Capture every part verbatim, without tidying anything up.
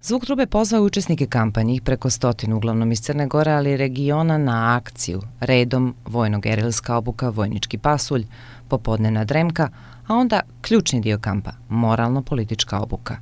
Zvuk trube pozvao učesnike kampanje, ih preko stotinu, uglavnom iz Crne Gore, ali i regiona, na akciju. Redom vojno-gerilska obuka, vojnički pasulj, popodnevna dremka, a onda ključni dio kampa, moralno-politička obuka.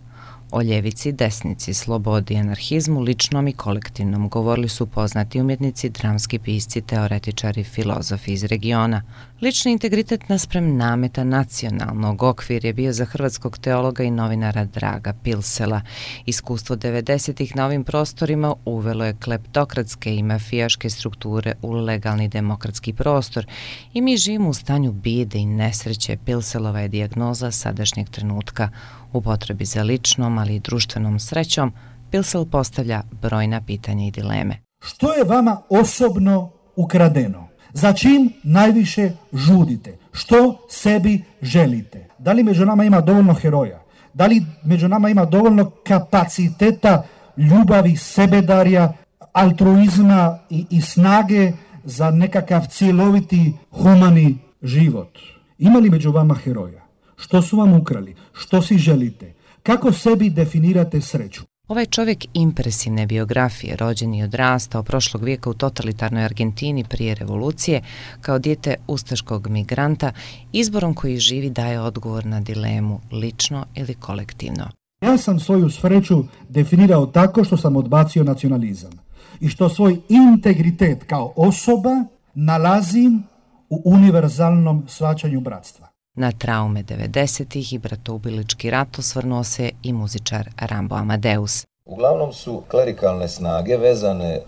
O ljevici, desnici, slobodi i anarhizmu, ličnom i kolektivnom, govorili su poznati umjetnici, dramski pisci, teoretičari, filozofi iz regiona. Lični integritet naspram nameta nacionalnog okvir je bio za hrvatskog teologa i novinara Draga Pilsela. Iskustvo devedesetih na ovim prostorima uvelo je kleptokratske i mafijaške strukture u legalni demokratski prostor i mi živimo u stanju bijede i nesreće. Pilselova je dijagnoza sadašnjeg trenutka. U potrebi za ličnom, ali i društvenom srećom, Pilsel postavlja brojna pitanja i dileme. Što je vama osobno ukradeno? Za čim najviše žudite? Što sebi želite? Da li među nama ima dovoljno heroja? Da li među nama ima dovoljno kapaciteta, ljubavi, sebedarja, altruizma i, i snage za nekakav cjeloviti humani život? Ima li među vama heroja? Što su vam ukrali? Što si želite? Kako sebi definirate sreću? Ovaj čovjek impresivne biografije, rođen i odrastao prošlog vijeka u totalitarnoj Argentini prije revolucije, kao dijete ustaškog migranta, izborom koji živi daje odgovor na dilemu lično ili kolektivno. Ja sam svoju sreću definirao tako što sam odbacio nacionalizam i što svoj integritet kao osoba nalazim u univerzalnom shvaćanju bratstva. Na traume devedesetih i bratoubilički rat osvrnuo se i muzičar Rambo Amadeus. Uglavnom su klerikalne snage vezane,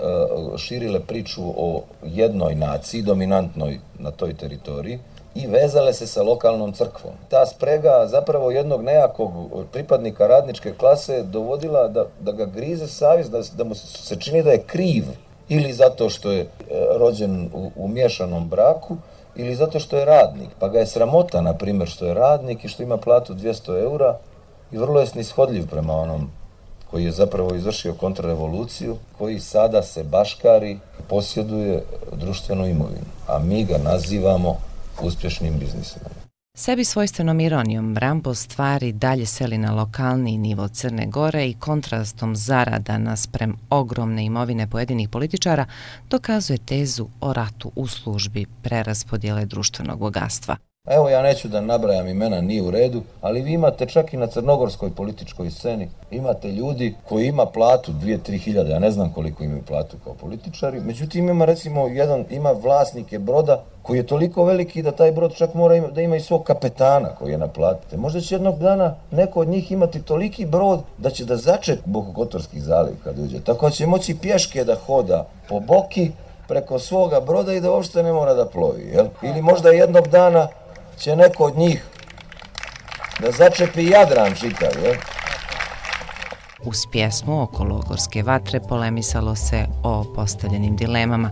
širile priču o jednoj naciji, dominantnoj na toj teritoriji, i vezale se sa lokalnom crkvom. Ta sprega zapravo jednog nejakog pripadnika radničke klase dovodila da, da ga grize savjest, da, da mu se čini da je kriv, ili zato što je rođen u, u miješanom braku, ili zato što je radnik, pa ga je sramota, na primjer, što je radnik i što ima platu dvjesto eura i vrlo je snishodljiv prema onom koji je zapravo izvršio kontrarevoluciju, koji sada se baškari, posjeduje društvenu imovinu, a mi ga nazivamo uspješnim biznismenom. Sebi svojstvenom ironijom Rambo stvari dalje seli na lokalni nivo Crne Gore i kontrastom zarada nasprem ogromne imovine pojedinih političara dokazuje tezu o ratu u službi preraspodjele društvenog bogatstva. Evo, ja neću da nabrajam imena, nije u redu, ali vi imate čak i na crnogorskoj političkoj sceni, imate ljudi koji ima platu dvije do tri hiljade, ja ne znam koliko imaju platu kao političari, međutim ima recimo jedan, ima vlasnike broda koji je toliko veliki da taj brod čak mora ima, da ima i svog kapetana koji je naplatite. Možda će jednog dana neko od njih imati toliki brod da će da začep Bokokotorski zaliv kad uđe, tako će moći pješke da hoda po Boki preko svoga broda i da uopšte ne mora da plovi, jel? Ili možda jednog dana će neko od njih da začepi Jadran čitav, jel? Uz pjesmu oko logorske vatre polemisalo se o postavljenim dilemama.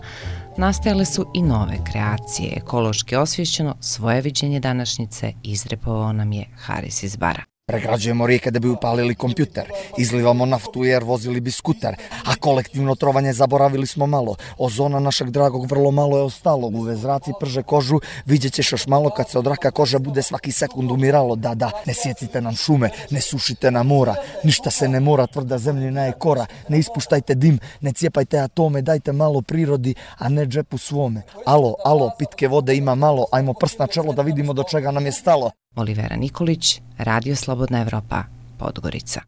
Nastajale su i nove kreacije. Ekološki osvješćeno svoje viđenje današnjice izrepovao nam je Haris iz Bara. Pregrađujemo rijeke da bi upalili kompjuter, izlivamo naftu jer vozili bi skuter, a kolektivno trovanje zaboravili smo malo. Ozona našeg dragog vrlo malo je ostalo, uve zraci prže kožu, vidjet ćeš još malo kad se od raka koža bude svaki sekund umiralo. Da, da, ne sjecite nam šume, ne sušite nam mora, ništa se ne mora, tvrda zemljina je kora, ne ispuštajte dim, ne cijepajte atome, dajte malo prirodi, a ne džepu svome. Alo, alo, pitke vode ima malo, ajmo prst na čelo da vidimo do čega nam je stalo. Olivera Nikolić, Radio Slobodna Evropa, Podgorica.